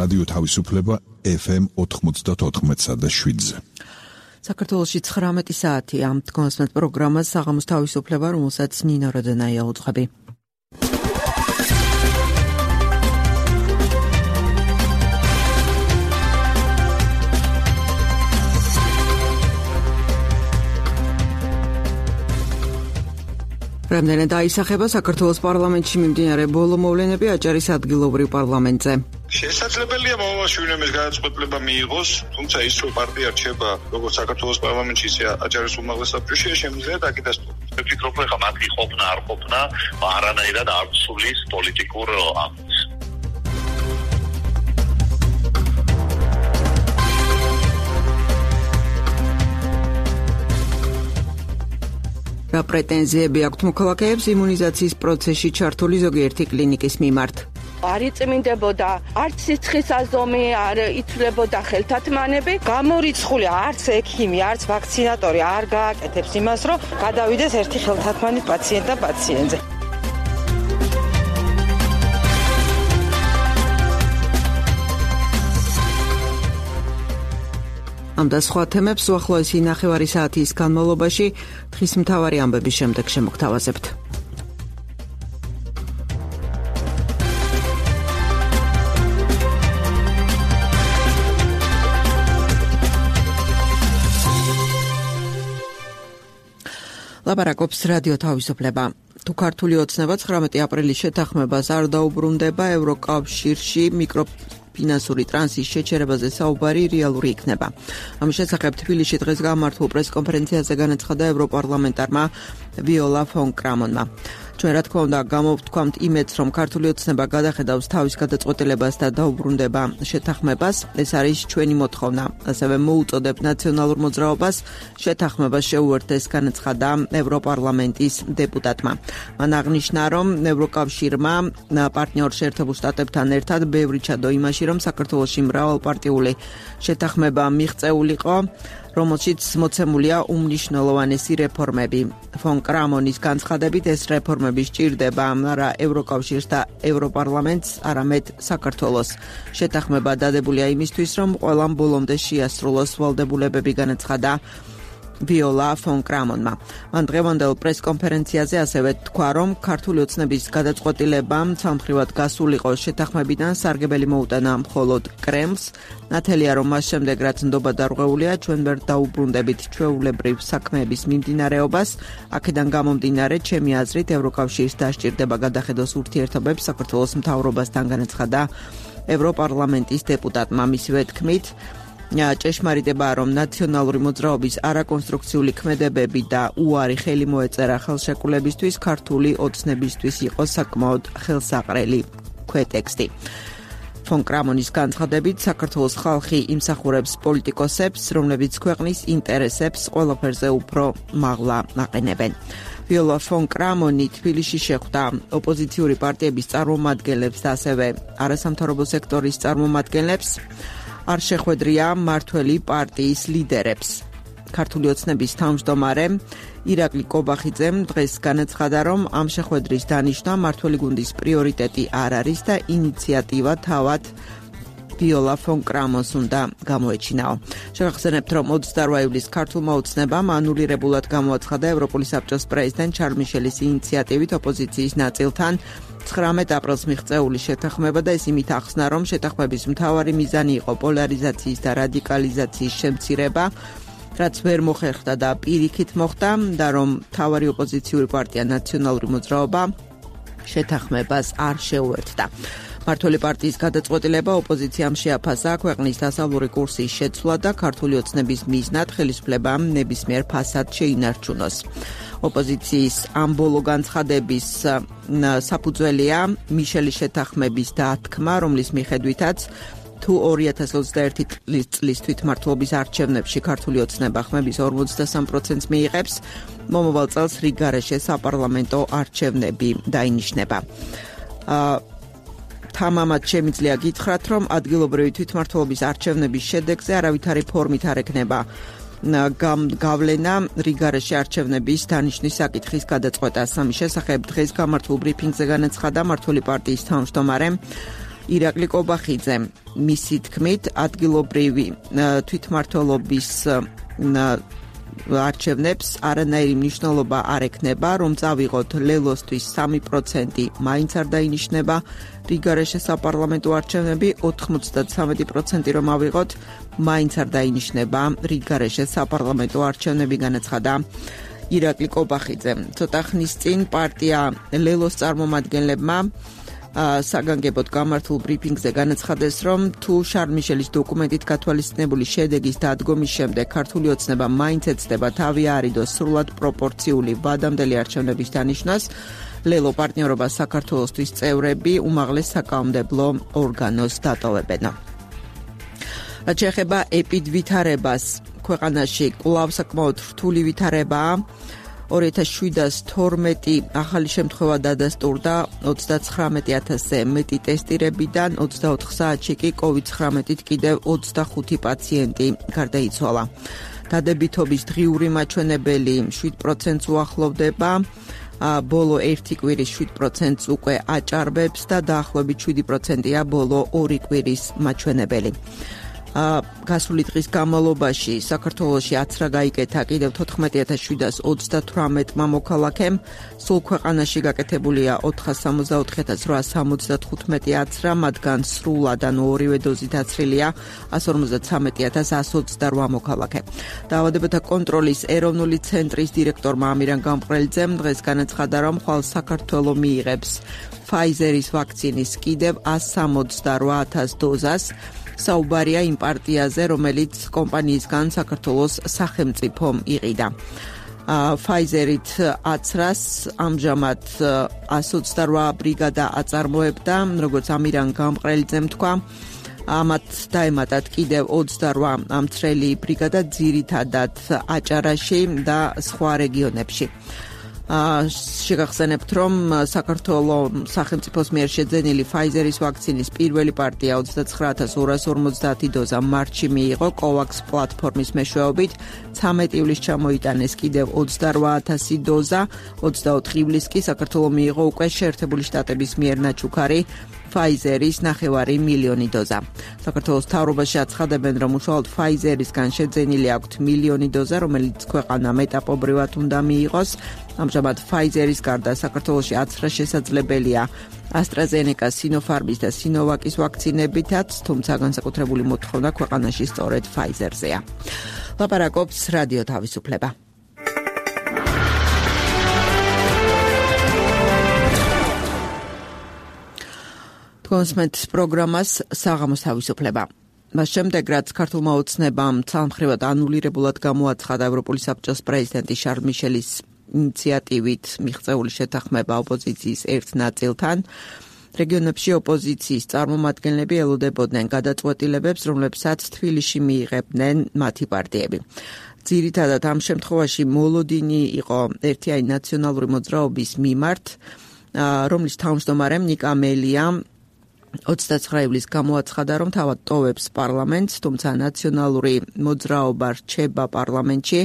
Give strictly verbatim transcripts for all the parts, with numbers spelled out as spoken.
რადიო თავისუფლება ეფ ემ ოთხმოცდაოთხ და შვიდზე. საქართველოში ცხრამეტი საათი ამ დგომასმეთ პროგრამას საღამოს თავისუფლება, რომელსაც ნინო როდენაია უძღვები. რამდენად აისახება საქართველოს პარლამენტში მიმდინარე ბოლო მოვლენები აჭარის ადგილობრივ პარლამენტზე. შესაძლებელია მომავალში ვინმეს გადაწყვეტილება მიიღოს, თუმცა ის რომ პარტია რჩება როგორც საქართველოს პარლამენტში, ისე აჭარის უმაღლეს საბჭოში, შემიძლია დაკიდასტუროს. ვფიქრობ, რომ მათი ყოფნა არ ყოფნა არანაირად არ ცulis პოლიტიკურ აქტს. რა პრეტენზიები აქვთ მოქალაქეებს იმუნიზაციის პროცესში ჩართული ზოგიერთი კლინიკის მიმართ? არ იწმინდებოდა არც სიცხის აზომი, არ იცვლებოდა ხელთათმანები, გამორიცხული არც ექიმი, არც ვაქცინატორი არ გააკეთებს იმას, რომ გადავიდეს ერთი ხელთათმანი პაციენტ და პაციენტზე. ამ და სხვა თემებს უახლოესი ნახევარი საათის განმავლობაში დღის მთავარი ამბების შემდეგ შემოგთავაზებთ. ლაპარაკობს რადიო თავისუფლება. თუ ქართული ოცნება ცხრამეტი აპრილის შეთანხმებას არ დაუბრუნდება, ევროკავშირში მიკრო ფინანსური ტრანსის შეჩერებაზე საუბარი რეალური იქნება. ამის შესახებ თბილისში დღეს გამართულ პრესკონფერენციაზე განაცხადა ევროპარლამენტარმა ვიოლა ფონ კრამონმა. ჩვენ რა თქმა უნდა გამოვთქვამთ იმედს, რომ ქართული ოცნება გადახედავს თავის გადაწყვეტილებას და დაუბრუნდება შეთანხმებას. ეს არის ჩვენი მოთხოვნა. ასევე მოუწოდებ ნაციონალურ მოძრაობას შეთანხმებას შეუერთდეს, განაცხადა ევროპარლამენტის დეპუტატმა. მან აღნიშნა, რომ ევროკავშირმა პარტნიორ შეერთებულ შტატებთან ერთად ბევრი ჩადო იმაში, რომ საქართველოში მრავალპარტიული შეთანხმება მიღწეულიყო, რომელშიც მოცემულია უმნიშვნელოვანესი რეფორმები. ფონ კრამონის განცხადებით ეს რეფორმები სჭირდება არა ევროკავშირს და ევროპარლამენტს, არამედ საქართველოს. შეთანხმება დადებულია იმისთვის, რომ ყველამ ბოლომდე შეასრულოს ვალდებულებები, განაცხადა ვიოლა ფონ კრამონმა. მან დღევანდელ პრესკონფერენციაზე ასევე თქვა, რომ ქართული ოცნების გადაწყვეტილება სამხრივად გასულიყო შეთანხმებიდან, სარგებელი მოუტანა მხოლოდ კრემლს. ნათელია, რომ მას შემდეგ, რაც ნდობა დარღვეულია, ჩვენ ვერ დაუბრუნდებით ჩვეულებრივ საქმეების მიმდინარეობას. აქედან გამომდინარე, ჩემი აზრით, ევროკავშირს დასჭირდება გადახედოს ურთიერთობებს საქართველოს მთავრობასთან, განაცხადა ევროპარლამენტის დეპუტატმა. მისივე თქმით, ჭეშმარიტებაა, რომ ნაციონალური მოძრაობის არაკონსტრუქციული ქმედებები და უარი ხელი მოეწერა ხელშეკრულებისთვის, ქართული ოცნებისთვის იყო საკმაოდ ხელსაყრელი ქვეტექსტი. ფონ კრამონის განცხადებით, საქართველოს ხალხი იმსახურებს პოლიტიკოსებს, რომლებიც ქვეყნის ინტერესებს ყველაფერზე უფრო მაღლა აყენებენ. ვიოლა ფონ კრამონი თბილისში შეხვდა ოპოზიციური პარტიების წარმომადგენლებს და ასევე არასამთავრობო სექტორის წარმომადგენლებს. არ შეხვედრია მართველი პარტიის ლიდერებს. ქართული ოცნების თავმჯდომარე ირაკლი კობახიძემ დღეს განაცხადა, რომ ამ შეხვედრის დანიშვნა მართველი გუნდის პრიორიტეტი არ არის და ინიციატივა თავად ვიოლა ფონ კრამონს უნდა გამოეჩინაო. შევახსენებთ, რომ ოცდაოთხ ივლისს ქართულმა ოცნებამ ანულირებულად გამოაცხადა ევროპული საბჭოს პრეზიდენტ შარლ მიშელის ინიციატივით ოპოზიციის ნაწილთან ცხრამეტ აპრილს მიღწეული შეთანხმება და ეს იმით ახსნა, რომ შეთანხმების მთავარი მიზანი იყო პოლარიზაციის და რადიკალიზაციის შემცირება, რაც ვერ მოხერხდა და პირიქით მოხდა და რომ მთავარი ოპოზიციური პარტია ნაციონალური მოძრაობა შეთანხმებას არ შეუერთდა. მართველი პარტიის გადაწყვეტილება ოპოზიციამ შეაფასა ქვეყნის დასავლური კურსის შეცვლა და ქართული ოცნების მიზნად ხელისუფლებამ ნებისმიერ ფასად შეინარჩუნოს. ოპოზიციის ამ ბოლო განცხადების საფუძველია მიშელის შეთანხმების დათქმა, რომლის მიხედვითაც თუ ორი ათას ოცდაერთი წლის თვითმმართველობის არჩევნებში ქართული ოცნება ხმების ორმოცდასამ პროცენტს მიიღებს, მომავალ წელს რიგგარეშე საპარლამენტო არჩევნები დაინიშნება. თამამად შემიძლია გითხრათ, რომ ადგილობრივი თვითმმართველობის არჩევნების შედეგზე არავითარი ფორმით არ ექნება გავლენა რიგგარეშე არჩევნების დანიშვნის საკითხის გადაწყვეტას. ამის შესახებ დღეს გამართულ ბრიფინგზე განაცხადა მმართველი პარტიის თავმჯდომარე ირაკლი კობახიძე მისი თქმით ადგილობრივი თვითმმართველობის არჩევნებს არანაირი მნიშვნელობა არ ექნება, რომ წავიღოთ ლელოსთვის სამი პროცენტი მაინც არ დაინიშნება, რიგარეშე საპარლამენტო არჩევნები ოთხმოცდათრამეტი პროცენტი რომ ავიღოთ, მაინც არ დაინიშნება, რიგარეშე საპარლამენტო არჩევნები განაცხადა ირაკლი კობახიძე. ცოტა ხნის წინ პარტია ლელოს წარმომადგენლებმა საგანგებოდ გამართულ ბრიფინგზე განაცხადეს, რომ თუ შარლ მიშელის დოკუმენტით გათვალისწინებული შედეგის დადგომის შემდეგ ქართული ოცნება მაინც ეცდება თავი აარიდოს სრულად პროპორციული ვადამდელი არჩევნების დანიშვნას, ლელო პარტნიორობა საქართველოსთვის წევრები უმაღლეს საკანონმდებლო ორგანოს დატოვებენ. რაც შეეხება ეპიდვითარებას, ქვეყანაში კვლავ საკმაოდ რთული ვითარებაა. ორი ათას შვიდსათორმეტი ახალი შემთხვევა დადასტურდა ოცდაცხრამეტი ათასზე მეტი ტესტირებიდან, ოცდაოთხ საათში კი კოვიდ ცხრამეტით კიდევ ოცდახუთი პაციენტი გარდაიცვალა. დადებითობის დღიური მაჩვენებელი შვიდ პროცენტს უახლოვდება, ბოლო ერთი კვირის შვიდ პროცენტს უკვე აჭარბებს და დაახლოებით შვიდი პროცენტია ბოლო ორი კვირის მაჩვენებელი. გასული დღის განმავლობაში საქართველოში აცრა გაიკეთა კიდევ თოთხმეტი ათას შვიდსას ოცდათვრამეტმა მოქალაქემ, სულ ქვეყანაში გაკეთებულია ოთხას სამოცდაოთხი ათას რვაას სამოცდათხუთმეტი აცრა, მათგან სრულად ანუ ორივე დოზით აცრილია ასი ორმოცდათრამეტი ათას ასი ოცდარვა მოქალაქე. დაავადებათა კონტროლის ეროვნული ცენტრის დირექტორმა ამირან გამყრელიძემ დღეს განაცხადა, რომ ხვალ საქართველო მიიღებს Pfizer-ის ვაქცინის კიდევ ასი სამოცდარვა ათას დოზას. საუბარია იმ პარტიაზე, რომელიც კომპანიისგან საქართველოს სახელმწიფომ იყიდა. Pfizer-ით აცრას ამჟამად ასი ოცდარვა ბრიგადა აწარმოებდა, როგორც ამირან გამყრელიძემ თქვა, ამათ დაემატათ კიდევ ოცდარვა ამცრელი ბრიგადა ძირითადად აჭარაში და სხვა რეგიონებში. შეგახსენებთ, რომ საქართველოს სახელმწიფოს მიერ შეძენილი Pfizer-ის ვაქცინის პირველი პარტია ოცდაცხრა ათას ორას ორმოცდაათი დოზა მარტში მიიღო COVAX პლატფორმის მეშვეობით, ცამეტი ივლისს ჩამოიტანეს კიდევ ოცდარვა ათასი დოზა, ოცდაოთხ ივლისს კი საქართველოს მიიღო უკვე შეერთებული შტატების მიერ ნაჩუქარი Pfizer-ის ნახევარი მილიონი დოზა. საქართველოს მთავრობაში აცხადებენ, რომ უშუალოდ Pfizer-ისგან შეძენილი აქვთ მილიონი დოზა, რომელიც ქვეყანა მეტაპობრივად უნდა მიიღოს. ამჟამად Pfizer-ის გარდა საქართველოში აცრა შესაძლებელია AstraZeneca, Sinopharm-ის და Sinovac-ის ვაქცინებითაც, თუმცა განსაკუთრებული მოთხოვნა ქვეყანაში სწორედ Pfizer-ზეა. ლაპარაკობს რადიო თავისუფლება. კონსმეთ პროგრამას საღამოს თავისუფლება. მას შემდეგ, რაც ქართულმა ოცნებამ ცალმხრივად ანულირებულად გამოაცხადა ევროპული საბჭოს პრეზიდენტი შარლ მიშელის ინიციატივით მიღწეული შეთანხმება ოპოზიციის ერთ ნაწილთან, რეგიონებში ოპოზიციის წარმომადგენლები ელოდებოდნენ გადაწყვეტილებებს, რომლებსაც თბილისში მიიღებდნენ მათი პარტიები. ძირითადად ამ შემთხვევაში მოლოდინი იყო ერთიანი ნაციონალური მოძრაობის მიმართ, რომლის თავმჯდომარემ ნიკა მელიამ ოცდაცხრა ივლისს გამოაცხადა, რომ თავად ტოვებს პარლამენტს, თუმცა ნაციონალური მოძრაობა რჩება პარლამენტში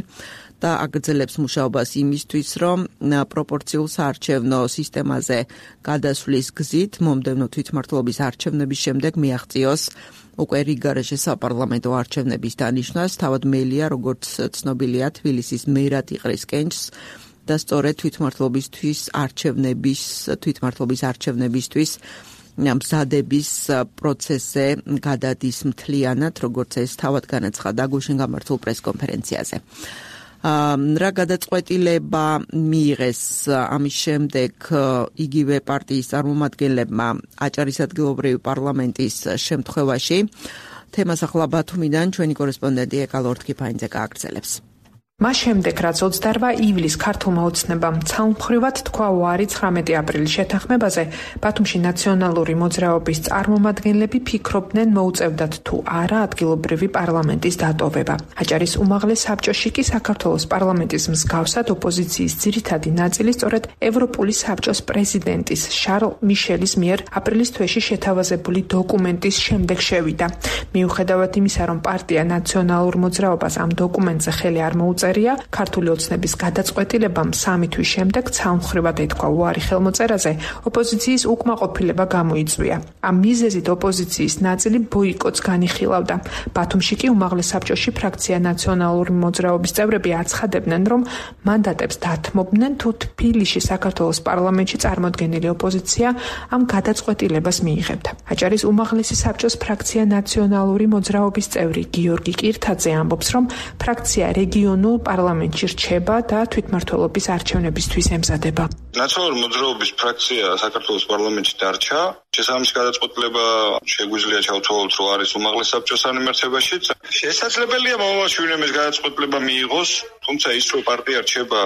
და აგრძელებს მუშაობას იმისთვის, რომ პროპორციულ საარჩევნო სისტემაზე გადასვლის გზით მომდევნო თვითმმართველობის არჩევნების შემდეგ მიაღწიოს უკვე რიგარეშე საპარლამენტო არჩევნების დანიშვნას. თავად მელია, როგორც ცნობილია, თბილისის მერად იყრის კენჭს და სწორედ თვითმმართველობისთვის არჩევნების თვითმმართველობის არჩევნებისთვის მზადების პროცესზე გადადის მთლიანად, როგორც ეს თავად განაცხადა გუშინ გამართულ პრესკონფერენციაზე. რა გადაწყვეტილება მიიღეს ამის შემდეგ იგივე პარტიის წარმომადგენლებმა აჭარის ადგილობრივი პარლამენტის შემთხვევაში? თემას ახლა ბათუმიდან ჩვენი კორესპონდენტი ეკალ ორთქიფანიძე გააგრძელებს. მას შემდეგ, რაც ოცდარვა ივლისს ქართულმა ოცნებამ ცალმხრივად თქვა უარი ცხრამეტი აპრილის შეთანხმებაზე, ბათუმში ნაციონალური მოძრაობის წარმომადგენლები ფიქრობდნენ მოუწევდათ თუ არა ადგილობრივი პარლამენტის დატოვება. აჭარის უმაღლეს საბჭოში კი საქართველოს პარლამენტის მსგავსად ოპოზიციის ძირითადი ნაწილი სწორედ ევროპული საბჭოს პრეზიდენტის შარლ მიშელის მიერ აპრილის თვეში შეთავაზებული დოკუმენტის შემდეგ შევიდა. მიუხედავად იმისა, რომ პარტია ნაციონალურ მოძრაობას ამ დოკუმენტზე ხელი არ მოუწევდა, ხელმოწერია. ქართული ოცნების გადაწყვეტილებამ სამი თვის შემდეგ ცალმხრივად ეთქვა უარი ხელმოწერაზე, ოპოზიციის უკმაყოფილება გამოიწვია. ამ მიზეზით ოპოზიციის ნაწილი ბოიკოტს განიხილავდა. ბათუმში კი უმაღლეს საბჭოში ფრაქცია ნაციონალური მოძრაობის წევრები აცხადებდნენ, რომ მანდატებს დათმობდნენ, თუ თბილისში საქართველოს პარლამენტში წარმოდგენილი ოპოზიცია ამ გადაწყვეტილებას მიიღებდა. აჭარის უმაღლესი საბჭოს ფრაქცია ნაციონალური მოძრაობის წევრი გიორგი კირთაძე ამბობს, რომ ფრაქცია რეგიონულ პარლამენტში რჩება და თვითმმართველობის არჩევნებისთვის ემზადება. ნაციონალური მოძრაობის ფრაქცია საქართველოს პარლამენტში დარჩა. შესაბამისი გადაწყვეტილება შეგვიძლია ჩავთვალოთ, რომ არის უმაღლეს საბჭოს ანემართებაშიც. შესაძლებელია მომავალში ვინმე ეს გადაწყვეტილება მიიღოს, თუმცა ის რომ პარტია რჩება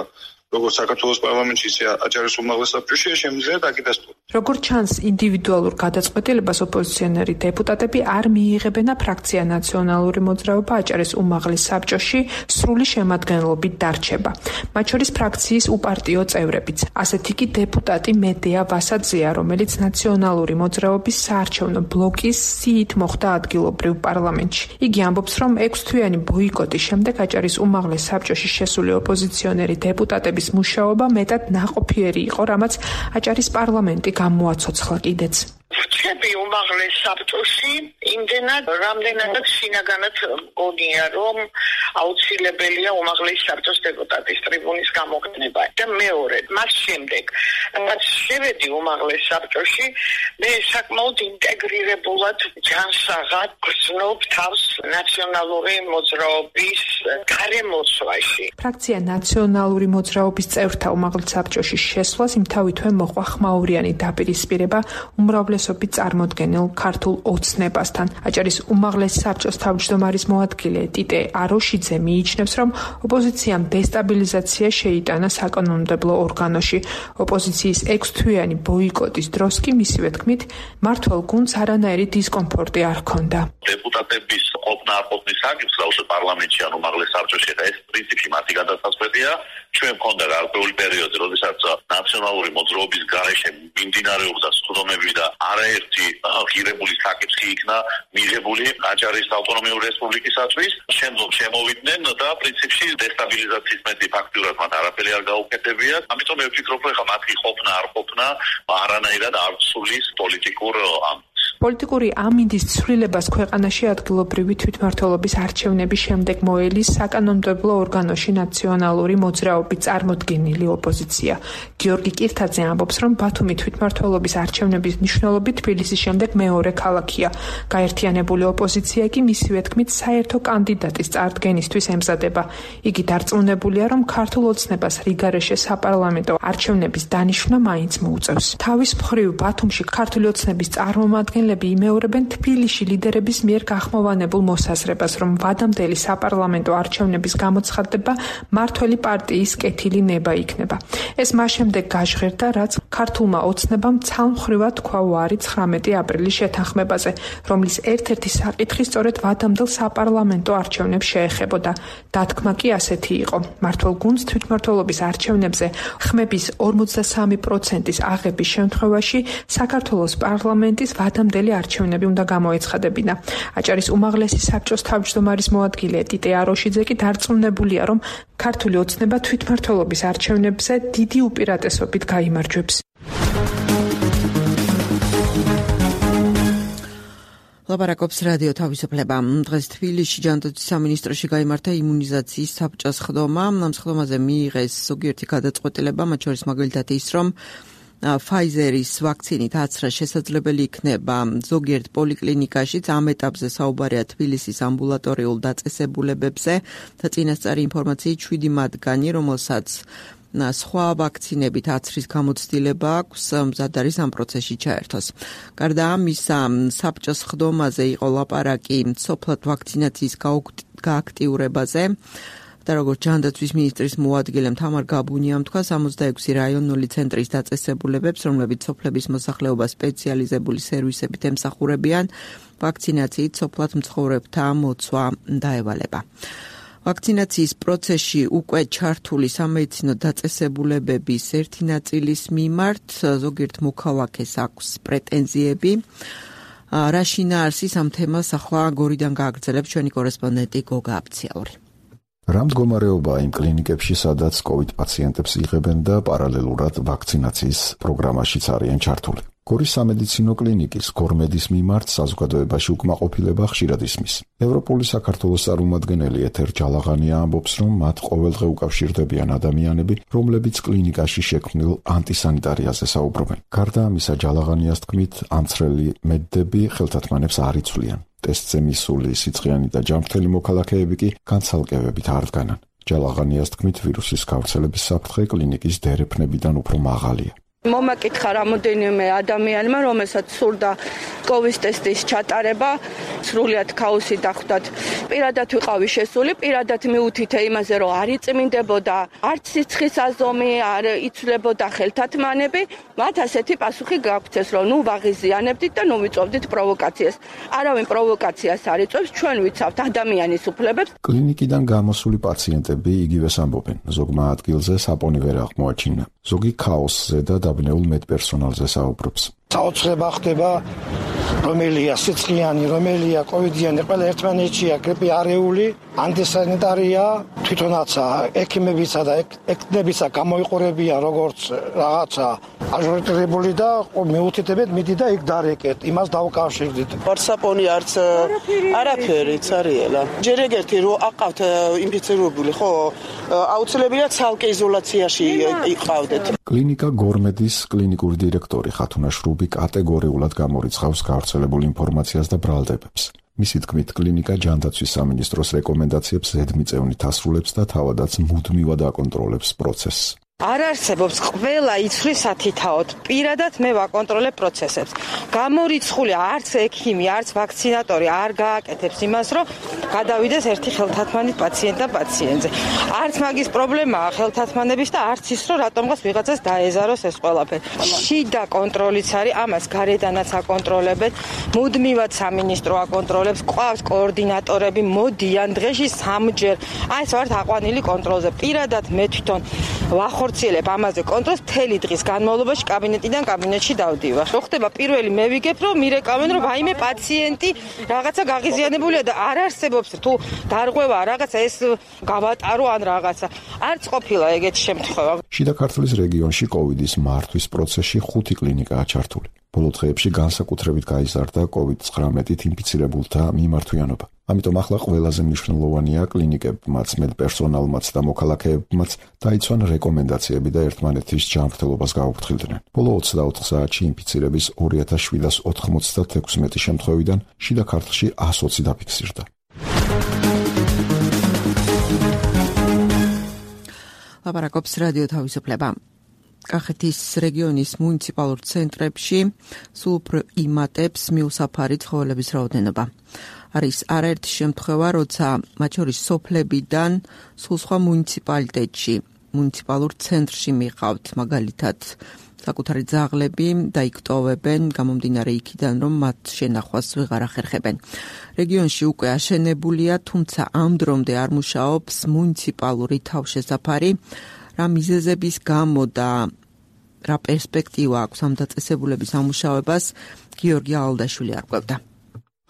როგორც საქართველოს პარლამენტში, ისე აჭარის უმაღლეს საბჭოში, შემიძლია დაკიდასტუროს. როგორც ჩანს, ინდივიდუალურ გადაწყვეტილებას ოპოზიციონერი დეპუტატები არ მიიღებენ და ფრაქცია ნაციონალური მოძრაობა აჭარის უმაღლეს საბჭოში სრული შემადგენლობით დარჩება. მათ შორის ფრაქციის უპარტიო წევრებიც. ასეთი კი დეპუტატი მედეა ვასაძეა, რომელიც ნაციონალური მოძრაობის საარჩევნო ბლოკის სიით მოხვდა ადგილობრივ პარლამენტში. იგი ამბობს, რომ ექვსთვიანი ბოიკოტის შემდეგ აჭარის უმაღლეს საბჭოში შესული ოპოზიციონერი დეპუტატები მუშაობა მეტად ნაყოფიერი იყო, რამაც აჭარის პარლამენტი გამოაცოცხლა კიდეც. რჩები უმაღლეს საბჭოში იმდენად, რამდენადაც შინაგანად მგონია, რომ აუცილებელია უმაღლეს საბჭოს დეპუტატის ტრიბუნის გამოყენება. და მეორე, მას შემდეგ, რაც შევედი უმაღლეს საბჭოში, მე საკმაოდ ინტეგრირებულად ჯანსაღად გრძნობ თავს ნაციონალური მოძრაობის გარემოცვაში. ფრაქცია ნაციონალური მოძრაობის წევრთა უმაღლეს საბჭოში შესვლას იმთავითვე მოყვა ხმაურიანი დაპირისპირება უმრავლესობით წარმოდგენილ ქართულ ოცნებასთან. აჭარის უმაღლეს საბჭოს თავმჯდომარის მოადგილე ტიტე აროშიძე მიიჩნევს, რომ ოპოზიციამ დესტაბილიზაცია შეიტანა საკანონმდებლო ორგანოში. ოპოზიციის ექვსთვიანი ბოიკოტის დროს კი მისივე თქმით, მმართველ გუნდს არანაირი დისკომფორტი არ ჰქონდა. დეპუტატების ყოფნა არ ყოფნის საკითხს პარლამენტში ან უმაღლეს საბჭოში ეს პრინციპი მათი გადაწყვეტია. ჩვენ მქონდა გარკვეული პერიოდი, როდესაც ნაციონალური მოძრაობის გარეშე მიმდინარეობდა სხდომები და არაერთი ღირებული საკითხი იქნა მიღებული აჭარის ავტონომიური რესპუბლიკისათვის. შემდგომ შემოვიდნენ და პრინციპში დესტაბილიზაციის მეტი ფაქტურად მათ არაფერი არ გაუკეთებიათ. ამიტომ მე ვფიქრობ, რომ მათი ყოფნა არ ყოფნა არანაირად არ ცulis პოლიტიკურ ამბავს. პოლიტიკური ამინდის ცვლილებას ქვეყანაში ადგილობრივი თვითმმართველობის არჩევნების შემდეგ მოელის საკანონმდებლო ორგანოში ნაციონალური მოძრაობის წარმოდგენილი ოპოზიცია. გიორგი კირთაძე ამბობს, რომ ბათუმი თვითმმართველობის არჩევნების მნიშვნელობით თბილისის შემდეგ მეორე ქალაქია. გაერთიანებული ოპოზიცია კი მისივე თქმით საერთო კანდიდატის წარდგენისთვის ემზადება. იგი დარწმუნებულია, რომ ქართულ ოცნებას რიგარეშე საპარლამენტო არჩევნების დანიშვნა მაინც მოუწევს. თავის მხრივ ბათუმში ქართული ოცნების წარმომადგენლები იმეორებენ თბილისში ლიდერების მიერ გახმოვანებულ მოსაზრებას, რომ ვადამდელი საპარლამენტო არჩევნების გამოცხადება მმართველი პარტიის კეთილი ნება იქნება. ეს მას შემდეგ გაჟღერდა, რაც ქართულმა ოცნებამ ცალმხრივად თქვა უარი ცხრამეტი აპრილის შეთანხმებაზე, რომლის ერთ-ერთი საკითხი სწორედ ვადამდელ საპარლამენტო არჩევნებს შეეხებოდა. დათქმა კი ასეთი იყო: მმართველ გუნდს თვითმმართველობის არჩევნებზე ხმების ორმოცდასამი პროცენტის აღების შემთხვევაში საქართველოს პარლამენტის ვადამდელი არჩევნები უნდა გამოეცხადებინა. აჭარის უმაღლესი საბჭოს თავმჯდომარის მოადგილე ტიტე აროშიძე კი დარწმუნებულია, რომ ქართული ოცნება თვითმმართველობის არჩევნებზე დიდი უპირატესობით გაიმარჯვებს. ლაპარაკობს რადიო თავისუფლება. დღეს თბილისში ჯანდაცვის სამინისტროში გაიმართა იმუნიზაციის საბჭოს ხდომა. ამ ხდომაზე მიიღეს ზოგიერთი გადაწყვეტილება, მათ შორის მაგალითად ის, რომ Pfizer-ის ვაქცინით აცრა შესაძლებელი იქნება ზოგიერთ პოლიკლინიკაშიც. ამ ეტაპზე საუბარია თბილისის ამბულატორიულ დაწესებულებებზე და წინასწარი ინფორმაციით შვიდი მათგანი, რომელსაც სხვა ვაქცინებით აცრის გამოცდილება აქვს, მზად არის ამ პროცესში ჩაერთოს. გარდა ამისა, საბჭოს ხდომაზე იყო ლაპარაკი სოფლად ვაქცინაციის გააქტიურებაზე. და როგორც ჯანდაცვის მინისტრის მოადგილემ თამარ გაბუნიამ თქვა, სამოცდაექვსი რაიონული ცენტრის დაწესებულებებს, რომლებიც სოფლების მოსახლეობას სპეციალიზებული სერვისებით ემსახურებიან, ვაქცინაციით სოფლად მცხოვრებთა მოცვა დაევალება. ვაქცინაციის პროცესში უკვე ჩართული სამედიცინო დაწესებულებების ერთი ნაწილის მიმართ ზოგიერთ მოქალაქეს აქვს პრეტენზიები. რა შინაარსის ამ თემას ახლა გორიდან გააგრძელებს ჩვენი კორესპონდენტი გოგა აბციაური. რა მდგომარეობაა იმ კლინიკებში, სადაც COVID პაციენტებს იღებენ და პარალელურად ვაქცინაციის პროგრამაშიც არიან ჩართული. გორის სამედიცინო კლინიკის გორმედის მიმართ საზოგადოებაში უკმაყოფილება ხშირად ისმის. ევროპული საქართველოს წარმომადგენელი ეთერ ჯალაღანია ამბობს, რომ მათ ყოველდღე უკავშირდებიან ადამიანები, რომლებიც კლინიკაში შექმნილ ანტისანიტარიაზე საუბრობენ. გარდა ამისა, ჯალაღანიას თქმით, ამცრელი მედდები ხელთათმანებს არ იცვლიან. ტესტზე მისული სიცხიანი და ჯანმრთელი მოქალაქეები კი განცალკევებით არ დგანან. ჯალაღანიას თქმით, ვირუსის გავრცელების საფრთხე კლინიკის დერეფნებიდან უფრო მაღალია. მომაკითხა რამოდენიმე ადამიანმა, რომელსაც სურდა კოვის ტესტის ჩატარება, სრულიად ქაოსი დახვდათ. პირადად ვიყავი შესული, პირადად მიუთითე იმაზე, რომ არ იწმინდებოდა არც სიცხის აზომი, არ იცვლებოდა ხელთათმანები, მათ ასეთი პასუხი გაგვცეს, რომ ნუ ვაღიზიანებდით და ნუ ვიწოვდით პროვოკაციას. არავინ პროვოკაციას არ იწვევს, ჩვენ ვიცავთ ადამიანის უფლებებს. კლინიკიდან გამოსული პაციენტები იგივეს ამბობენ, ზოგმა ადგილზე საპონი ვერ აღმოაჩინა. ზოგი ქაოსზე და დაბნეულ მედპერსონალზე საუბრობს. საოცრება ხდება, რომელია სიცხიანი, რომელია კოვიდიანი, ყველა ერთმანეთშია, გრიპი არეული, ანტისანიტარია, თვითონაცა ექიმებისა და ეკნებისა გამოიყურებიან როგორც რაღაცა აჟურირებული და მეუთითებთ მიდი და იქ დარეკეთ, იმას დავკავშირდით. ვარსაპონი არც არაფერიც არიელა. ჯერ ეგერთი რო აყავთ ინფიცირებული, ხო, აუცილებლად ცალკე იზოლაციაში იყავდეთ. კლინიკა გორმედის კლინიკური დირექტორი ხათუნა შრუბი კატეგორიულად გამორიცხავს გავრცელებულ ინფორმაციას და ბრალდებებს. მისი თქმით, კლინიკა ჯანდაცვის სამინისტროს რეკომენდაციებს ზედმიწევნით ასრულებს და თავადაც მუდმივად აკონტროლებს პროცესს. არ არსებობს ყველა იცვლის სათითაოდ. პირადად მე ვაკონტროლებ პროცესებს. გამორიცხული არც ექიმი, არც ვაქცინატორი არ გააკეთებს იმას, რომ გადავიდეს ერთი ხელთათმანი პაციენტ და პაციენტზე. არც მაგის პრობლემაა ხელთათმანების და არც ის, რომ რატომღაც ვიღაცას დაეზაროს ეს ყველაფერი. შიდა კონტროლიც არის, ამას გარედანაც აკონტროლებენ, მუდმივად სამინისტრო აკონტროლებს, ყავს კოორდინატორები, მოდიან დღეში სამჯერ. აი ეს ვართ აყვანილი კონტროლზე. პირადად მე თვითონ ვახორციელებ ამაზე კონტროლს, მთელი დღის განმავლობაში კაბინეტიდან კაბინეტში დავდივარ. რო ხდება პირველი მე ვიგებ, რომ მირეკავენ, რომ ვაიმე პაციენტი რაღაცა გაღიზიანებულია და არ არსებობს თუ დარღვევა რაღაცა ეს გავატარო ან რაღაცა. არც ყოფილა ეგეთი შემთხვევა. შიდა ქართლის რეგიონში კოვიდის მართვის პროცესში ხუთი კლინიკაა ჩართული. ბოლო დღეებში განსაკუთრებით გაიზარდა კოვიდ ცხრამეტით ინფიცირებულთა მიმართვიანობა. ამიტომ ახლა ყველაზე მნიშვნელოვანია კლინიკებმაც, მედპერსონალმაც და მოქალაქეებმაც დაიცვან რეკომენდაციები და ერთმანეთის ჯანმრთელობას გაუფრთხილდნენ. ბოლო ოცდაოთხ საათში ინფიცირების ორი ათას შვიდას ოთხმოცდათექვსმეტი შემთხვევიდან შიდა ქართლში ას ოცი დაფიქსირდა. ლაპარაკობს რადიო თავისუფლება. კახეთის რეგიონის მუნიციპალურ ცენტრებში სულ უფრო იმატებს მიუსაფარი ცხოველების რაოდენობა. არის არაერთი შემთხვევა, როცა მათ შორის სოფლებიდან სულ სხვა მუნიციპალიტეტში, მუნიციპალურ ცენტრში მიყავთ, მაგალითად, საკუთარი ძაღლები დაიკვტოვებენ, გამომდინარე იქიდან, რომ მათ შენახვას ვეღარ ახერხებენ. რეგიონში უკვე აშენებულია, თუმცა ამ დრომდე არ მუშაობს მუნიციპალური თავშესაფარი. რა მიზეზების გამო და რა პერსპექტივა აქვს ამ დაწესებულების ამუშავებას, გიორგი ალდაშვილი არკვევდა.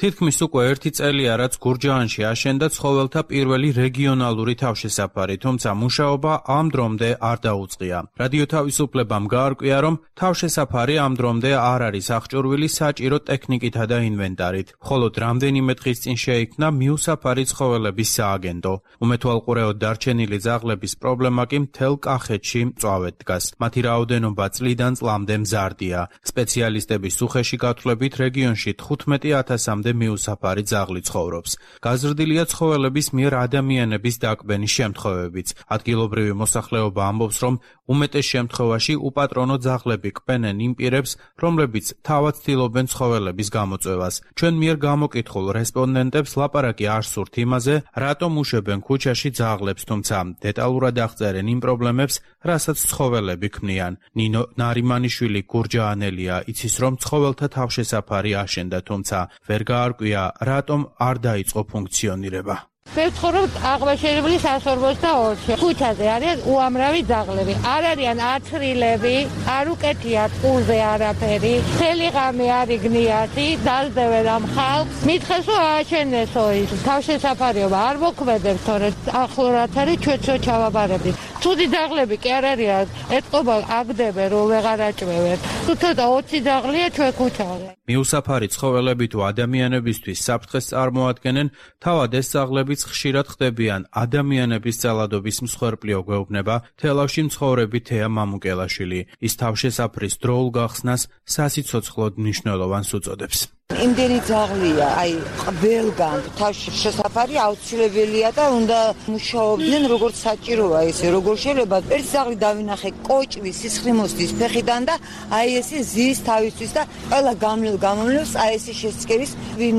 თითქმის უკვე ერთი წელია, რაც გურჯაანში აშენდა ცხოველთა პირველი რეგიონალური თავშესაფარი, თუმცა მუშაობა ამ დრომდე არ დაუწყია. რადიო თავისუფლებამ გაარკვია, რომ თავშესაფარი ამ დრომდე არ არის აღჭურვილი საჭირო ტექნიკითა და ინვენტარით, მხოლოდ რამდენიმე დღის წინ შეიქმნა მიუსაფარი ცხოველების სააგენტო. უმეთვალყურეოდ დარჩენილი ძაღლების პრობლემა კი მთელ კახეთში მწვავედ დგას. მათი რაოდენობა წლიდან წლამდე მზარდია. სპეციალისტების უხეში გათვლებით რეგიონში თხუთმეტი ათასამდე მიუსაფარი ძაღლი ცხოვრობს. გაზრდილია ცხოველების მიერ ადამიანების დაკვენის შემთხვევებიც. ადგილობრივი მოსახლეობა ამბობს, რომ უმეტეს შემთხვევაში უპატრონო ძაღლები კვენენ იმ პირებს, რომლებიც თავად ცდილობენ ცხოველების გამოწვევას. ჩვენ მიერ გამოკითხულ რესპონდენტებს ლაპარაკი არ სურთ იმაზე, რატომ უშვებენ ქუჩაში ძაღლებს, თუმცა დეტალურად აღწერენ იმ პრობლემებს, რასაც ცხოველები ქმნიან. ნინო ნარიმანიშვილი გურჯაანელია, იცის, რომ ცხოველთა თავშესაფარი აშენდა, თუმცა ვერ გაარკვია, რატომ არ დაიწყო ფუნქციონირება. მე ვცხოვრობ აღმაშენებლის one forty-four-ში. ქუჩაზე არიან უამრავი ძაღლები. არ არიან ათრილები, არ უკეთიათ ყურზე არაფერი. მთელი ღამე არ იგნიათი, დაძდევენ ამ ხალხს. მითხეს რომ ააშენესო ის. თავშესაფარიო არ მოქმედებს, თორე ახლორად არის ჩვენცო ჩავაბარებთ. ცუდი ძაღლები კი არ არიან. ეთყობა აგდებენ რომ ვეღარ აჭმევენ. თუ ცოტა ოცი ძაღლია ჩვენ ქუჩაზე. მიუსაფარი ცხოველები თუ ადამიანებისთვის საფრთხეს წარმოადგენენ, თავად ეს ძაღლებიც ხშირად ხდებიან ადამიანების ძალადობის მსხვერპლი გვეუბნება თელავში მცხოვრები თეა მამუკელაშვილი. ის თავშესაფრის დროულ გახსნას სასიცოცხლოდ მნიშვნელოვანს უწოდებს. იმდენი ძაღლია, აი ყველგან თავშესაფარი აუცილებელია და უნდა მუშაობდნენ როგორც საჭიროა ესე, როგორ შეიძლება ერთ ძაღლი დავინახე კოჭვის, სისხლიმოსთვის ფეხიდან და აი ესე ზის თავისთვის და ყველა გამლელ გამომლევს აი ესე შესწკერის ვინ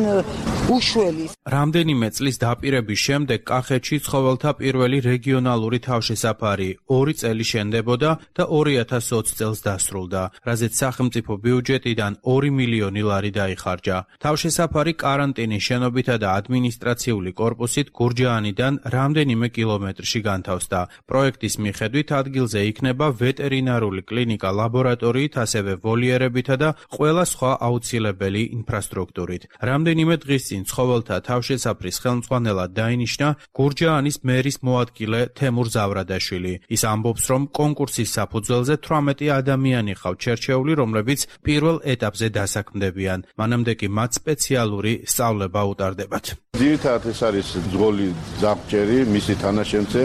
უშველის. რამდენიმე წლის დაპირების შემდეგ კახეთში ცხოველთა პირველი რეგიონალური თავშესაფარი ორი წელი შენდებოდა და ორი ათას ოცი წელს დასრულდა, რაზეც სახელმწიფო ბიუჯეტიდან ორი მილიონი ლარი დაიხარჯა. თავშესაფარი კარანტინის შენობითა და ადმინისტრაციული კორპუსით გურჯაანიდან რამდენიმე კილომეტრში განთავსდა. პროექტის მიხედვით ადგილზე იქნება ვეტერინარული კლინიკა ლაბორატორიით, ასევე ვოლიერებითა და ყველა სხვა აუცილებელი ინფრასტრუქტურით. რამდენიმე დღის წინ ცხოველთა თავშესაფრის ხელმძღვანელად დაინიშნა გურჯაანის მერის მოადგილე თემურ ზავრადაშვილი. ის ამბობს, რომ კონკურსის საფუძველზე თვრამეტი ადამიანი ყავთ შერჩეული, რომლებიც პირველ ეტაპზე დასაქმდებიან. მანამდე კი მათ სპეციალური სწავლება უტარდებათ. ძირითადად ეს არის ძღოლი ძაღლჭერი, მისი თანაშემწე,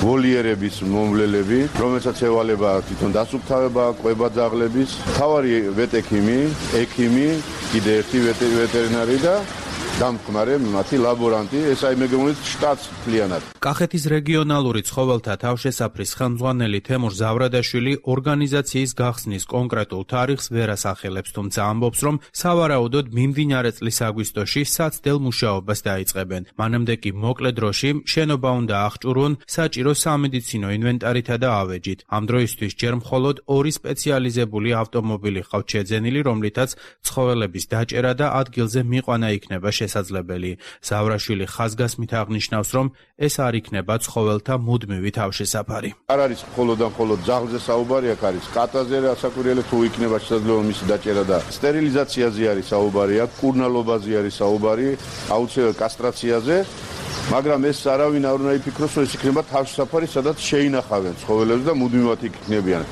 ვოლიერების მომვლელები, რომელსაც ევალება თვითონ დასუფთავება, ყვება ძაღლების, მთავარი ვეტექიმი, ექიმი, კიდე ერთი ვეტერინარი და დამხმარე მათი ლაბორანტი, ეს აი მეგონით შტატს მთლიანად. კახეთის რეგიონალური ცხოველთა თავშესაფრის ხელმძღვანელი თემურ ზავრადაშვილი ორგანიზაციის გახსნის კონკრეტულ თარიღს ვერ ასახელებს, თუმცა ამბობს, რომ სავარაუდოდ მიმდინარე წლის აგვისტოში საცდელ მუშაობას დაიწყებენ. მანამდე კი მოკლე დროში შენობა უნდა აღჭურვონ საჭირო სამედიცინო ინვენტარითა და ავეჯით. ამ დროისთვის ჯერ მხოლოდ ორი სპეციალიზებული ავტომობილი ყავთ შეძენილი, რომლითაც ცხოველების დაჭერა და ადგილზე მიყვანა იქნება შესაძლებელი. ზავრაშვილი ხაზგასმით აღნიშნავს, რომ ეს არ იქნება ცხოველთა მუდმივი თავშესაფარი. არ არის მხოლოდ და მხოლოდ ძაღლზე საუბარი, აქ არის კატაზე რასაკვირველია, თუ იქნება შესაძლებელი მისი დაჭერა და სტერილიზაციაზე არის საუბარი, აქ კურნალობაზე არის საუბარი, აუცილებლად კასტრაციაზე. მაგრამ ეს არავინ არ უნდა იფიქროს, რომ ეს იქნება თავშესაფარი, სადაც შეინახავენ ცხოველებს და მუდმივად იქ იქნებიან.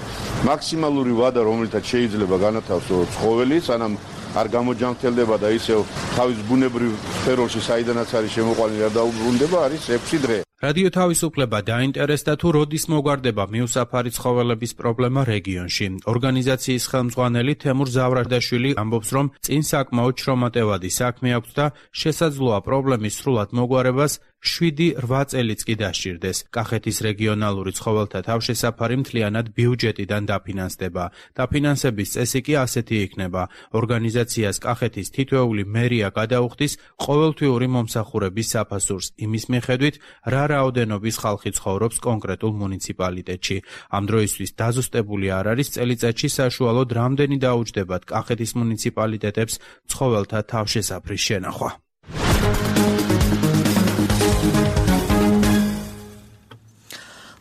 მაქსიმალური ვადა, რომელთაც შეიძლება განათავსო ცხოველი, სანამ არ გამოჯანმრთელდება და ისევ თავის ბუნებრივ სფეროში საიდანაც არის შემოყვანილი არ დაუბრუნდება, არის ექვსი დღე. რადიო თავისუფლება დაინტერესდა თუ როდის მოგვარდება მიუსაფარი ცხოველების პრობლემა რეგიონში. ორგანიზაციის ხელმძღვანელი თემურ ზავრადაშვილი ამბობს, რომ წინ საკმაოდ შრომატევადი საქმე აქვს და შესაძლოა პრობლემის სრულად მოგვარებას შვიდი რვა წელიც კი დასჭირდეს. კახეთის რეგიონალური ცხოველთა თავშესაფარი მთლიანად ბიუჯეტიდან დაფინანსდება. დაფინანსების წესი კი ასეთი იქნება: ორგანიზაციას კახეთის თითოეული მერია გადაუხდის ყოველთვიური მომსახურების საფასურს იმის მიხედვით, რა რაოდენობის ხალხი ცხოვრობს კონკრეტულ მუნიციპალიტეტში. ამ დროისთვის დაზუსტებული არ არის წელიწადში საშუალოდ რამდენი დაუჯდებათ კახეთის მუნიციპალიტეტებს ცხოველთა თავშესაფრის შენახვა.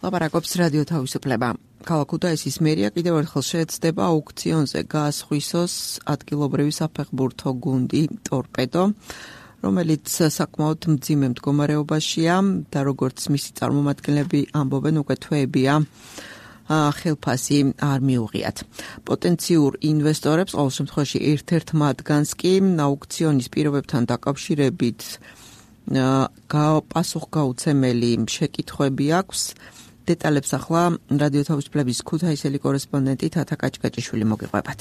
ლაპარაკობს რადიო თავისუფლება. ქალაქ ქუთაისის მერია კიდევ ერთხელ შეეცდება აუქციონზე გაასხვისოს ადგილობრივი საფეხბურთო გუნდი ტორპედო, რომელიც საკმაოდ მძიმე მდგომარეობაშია და როგორც მისი წარმომადგენლები ამბობენ, უკვე თვეებია ხელფასი არ მიუღიათ. პოტენციურ ინვესტორებს ყოველ შემთხვევაში ერთ-ერთ მათგანს კი აუქციონის პირობებთან დაკავშირებით პასუხგაუცემელი შეკითხვები აქვს. დეტალებს ახლა რადიო თავისუფლების ქუთაისელი კორესპონდენტი თათა კაჭკაჭიშვილი მოგიყვებათ.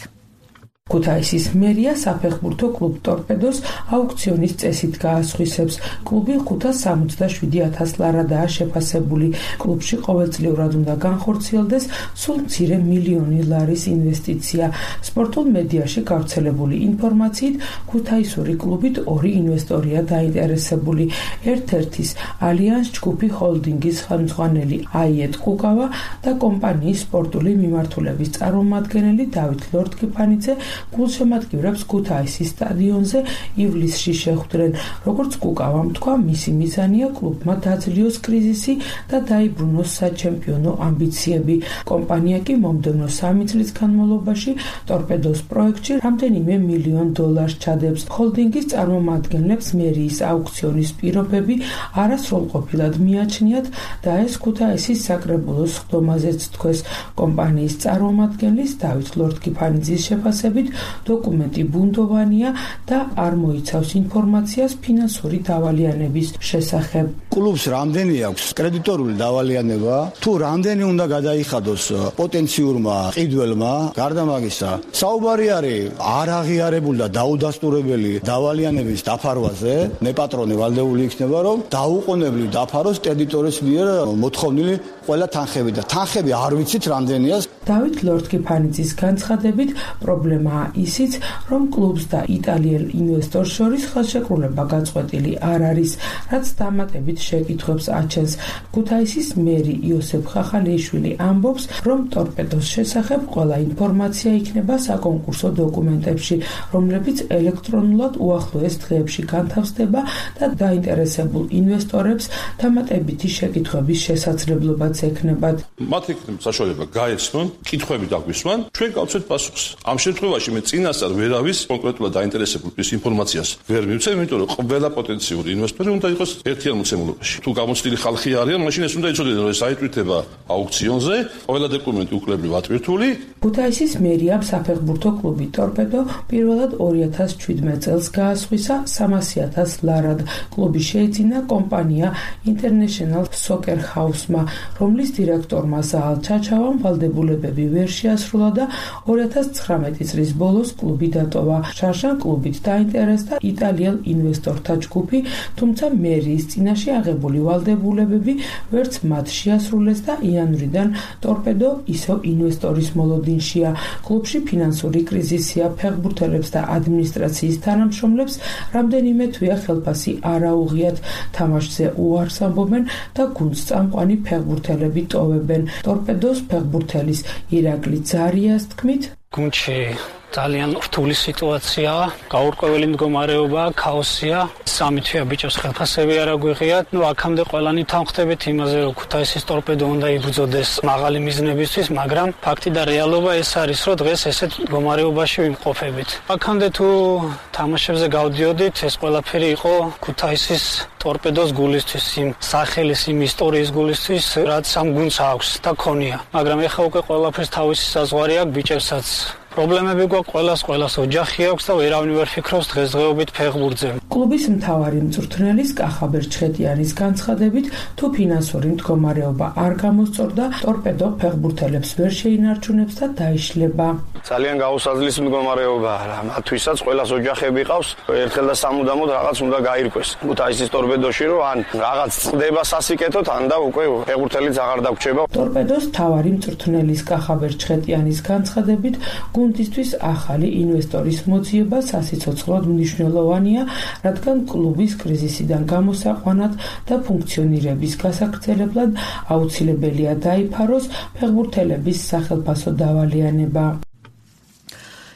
ქუთაისის მერია საფეხბურთო კლუბ ტორპედოს აუქციონის წესით გაასხვისებს. კლუბი ხუთას სამოცდაშვიდი ათას ლარადაა შეფასებული. კლუბში ყოველწლიურად უნდა განხორციელდეს სულ მცირე მილიონი ლარის ინვესტიცია. სპორტულ მედიაში გავრცელებული ინფორმაციით, ქუთაისური კლუბით ორი ინვესტორია დაინტერესებული. ერთ-ერთის ალიანს ჯგუფი ჰოლდინგის ხელმძღვანელი აიეტ კუკავა და კომპანიის სპორტული მიმართულების წარმომადგენელი დავით ლორდკიფანიძე გულშემატკივრებს ქუთაისის სტადიონზე ივლისში შეხვდნენ. როგორც კუკავამ თქვა, მისი მიზანია კლუბმა დაძლიოს კრიზისი და დაიბრუნოს საჩემპიონო ამბიციები. კომპანია კი მომდევნო სამი წლის განმავლობაში ტორპედოს პროექტში რამდენიმე მილიონ დოლარს ჩადებს. ჰოლდინგის წარმომადგენლებს მერიის აუქციონის პირობები არასრულყოფილად მიაჩნიათ და ეს ქუთაისის საკრებულოს ხდომაზეც თქვეს. კომპანიის წარმომადგენლის დავით ლორთქიფანიძის შეფასებით დოკუმენტი ბუნდოვანია და არ მოიცავს ინფორმაციას ფინანსური დავალიანების შესახებ. კლუბს რამდენი აქვს კრედიტორული დავალიანება? თუ რამდენი უნდა გადაიხადოს პოტენციურმა ყიდველმა? გარდა მაგისა, საუბარი არის არ აღიარებული და დაუდასტურებელი დავალიანების დაფარვაზე. მეპატრონე ვალდეული იქნება, რომ დაუყოვნებლივ დაფაროს კრედიტორის მიერ მოთხოვნილი ყველა თანხები და თანხები არ ვიცით რამდენია. დავით ლორთქიფანიძის განცხადებით პრობლემაა ისიც, რომ კლუბს და იტალიელ ინვესტორს შორის ხელშეკრულება გაწყვეტილი არ არის, რაც დამატებით შეკითხვებს აჩენს. ქუთაისის მერი იოსებ ხახალიშვილი ამბობს, რომ ტორპედოს შესახებ ყველა ინფორმაცია იქნება საკონკურსო დოკუმენტებში, რომლებიც ელექტრონულად უახლოეს დღეებში განთავსდება და დაინტერესებულ ინვესტორებს დამატებითი შეკითხვების შესაძლებლობაც ექნებათ. მათ ექნება საშუალება გაეცნონ, კითხვები დაგვისვან, ჩვენ გავცეთ პასუხს. ამ შემთხვევაში მე წინასწარ ვერავის კონკრეტულად დაინტერესებულ ის ინფორმაციას ვერ მივცემ, იმიტომ რომ ყველა პოტენციური ინვესტორი უნდა იყოს ერთიან მოცემულობაში. თუ გამოცდილი ხალხი არიან, მაშინ ეს უნდა იცოდნენ, რომ ეს აიტვირთება აუქციონზე, ყველა დოკუმენტი უკლებრივ ატვირთული. ქუთაისის მერიამ საფეხბურთო კლუბი ტორპედო პირველად ორი ათას შვიდმეტ წელს გაასხვისა სამასი ათას ლარად. კლუბი შეიძინა კომპანია International Soccer House-მა, რომლის დირექტორმა ზაალ ჩაჩავამ ვალდებულებები ვერ შეასრულა და ორი ათას ცხრამეტი წლის ბოლოს კლუბი დატოვა. შარშან კლუბით დაინტერესდა იტალიელ ინვესტორთა ჯგუფი, თუმცა მერიის წინაშე აღებული ვალდებულებები ვერც მათ შეასრულეს და იანვრიდან ტორპედო ისევ ინვესტორის მოლოდინშია. კლუბში ფინანსური კრიზისია, ფეხბურთელებს და ადმინისტრაციის თანამშრომლებს რამდენიმე თვეა ხელფასი არ აუღიათ, თამაშზე უარს ამბობენ და გუნდს წამყვანი ფეხბურთელები ტოვებენ. ტორპედოს ფეხბურთელის ირაკლი ძარიას თქმით, გუნდში ძალიან რთული სიტუაციაა, გაურკვეველი მდგომარეობა, ქაოსია. სამი თვეა ბიჭებს ხელფასები არ აგვიღიათ. ნუ აქამდე ყველანი თანხმდებით იმაზე, რომ ქუთაისის ტორპედო უნდა იბრძოდეს მაღალი მიზნებისთვის, მაგრამ ფაქტი და რეალობა ეს არის, რომ დღეს ესეთ მდგომარეობაში ვიმყოფებით. აქამდე თუ თამაშებზე გავდიოდით, ეს ყველაფერი იყო ქუთაისის ტორპედოს გულისთვის, იმ სახელის, იმ ისტორიის გულისთვის, რაც ამ გუნდს აქვს და ქონია. მაგრამ ეხლა უკვე ყველაფერს თავისი საზღვარი აქვს ბიჭებსაც. პრობლემები გვაქვს ყველას, ყველას ოჯახი აქვს და ვერავინ ვერ ფიქრობს დღესდღეობით ფეხბურთზე. კლუბის მთავარი მწვრთნელის კახაბერ ჩხეტიანის განცხადებით, თუ ფინანსური მდგომარეობა არ გამოსწორდა, ტორპედო ფეხბურთელებს ვერ შეინარჩუნებს და დაიშლება. ძალიან გაუსაძლის მდგომარეობაა რა. მათთვისაც ყველას ოჯახები ყავს, ერთხელ და სამუდამოდ რაღაც უნდა გაირკვეს. ქუთაისის ტორპედოში რომ ან რაღაც წდება სასიკეთოდ, ან და უკვე ფეხბურთელიც აღარ დაგვრჩება. ტორპედოს მთავარი მწვრთნელის კახაბერ ჩხეტიანის განცხადებით, გუნდისთვის ახალი ინვესტორის მოძიება სასიცოცხლოდ მნიშვნელოვანია, რადგან კლუბის კრიზისიდან გამოსაყვანად და ფუნქციონირების გასაგრძელებლად აუცილებელია დაიფაროს ფეხბურთელების სახელფასო დავალიანება.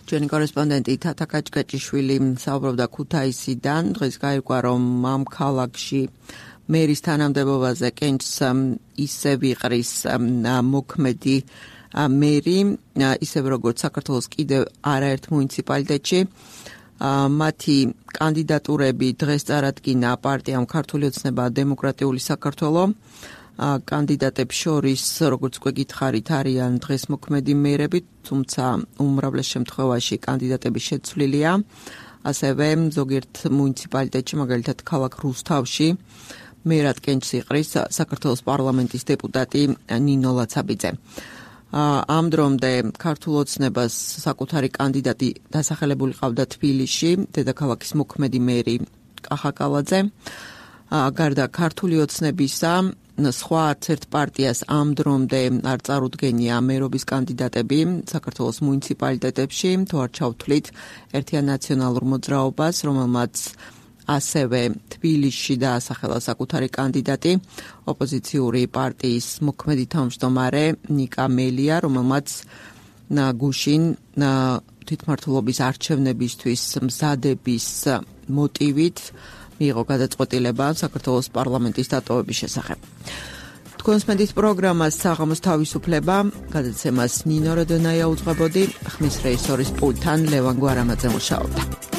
ჩვენი კორესპონდენტი თათა კაჭკაჭიშვილი საუბრობდა ქუთაისიდან. დღეს გაირკვა, რომ ამ ქალაქში მერის თანამდებობაზე კენჭს ისე ვიყრის მოქმედი მერი, ისევ როგორც საქართველოს კიდევ არაერთ მუნიციპალიტეტში. მათი კანდიდატურები დღეს წარადგინა პარტიამ ქართული ოცნება დემოკრატიული საქართველო. კანდიდატებს შორის, როგორც უკვე გითხარით, არიან დღეს მოქმედი მერები, თუმცა უმრავლეს შემთხვევაში კანდიდატები შეცვლილია. ასევე ზოგიერთ მუნიციპალიტეტში, მაგალითად ქალაქ რუსთავში, მერად კენჭს იყრის საქართველოს პარლამენტის დეპუტატი ნინო ლაცაბიძე. ამ დრომდე ქართულ ოცნებას საკუთარი კანდიდატი დასახელებული ყავდა თბილისში, დედაქალაქის მოქმედი მერი კახა კალაძე. გარდა ქართული ოცნებისა, სხვა არც ერთ პარტიას ამ დრომდე არ წარუდგენია მერობის კანდიდატები საქართველოს მუნიციპალიტეტებში, თუ არ ჩავთვლით ერთიან ნაციონალურ მოძრაობას, რომელმაც ასევე თბილისში დაასახელა საკუთარი კანდიდატი, ოპოზიციური პარტიის მოქმედი თავმჯდომარე ნიკა მელია, რომელმაც გუშინ თვითმმართველობის არჩევნებისთვის მზადების მოტივით მიიღო გადაწყვეტილება საქართველოს პარლამენტის დატოვების შესახებ. თქვენს მედიის პროგრამას საღამოს თავისუფლება, გადაცემას ნინო როდონაია უძღვებოდი, ხმის რეჟისორის პულტთან ლევან გვარამაძე მუშაობდა.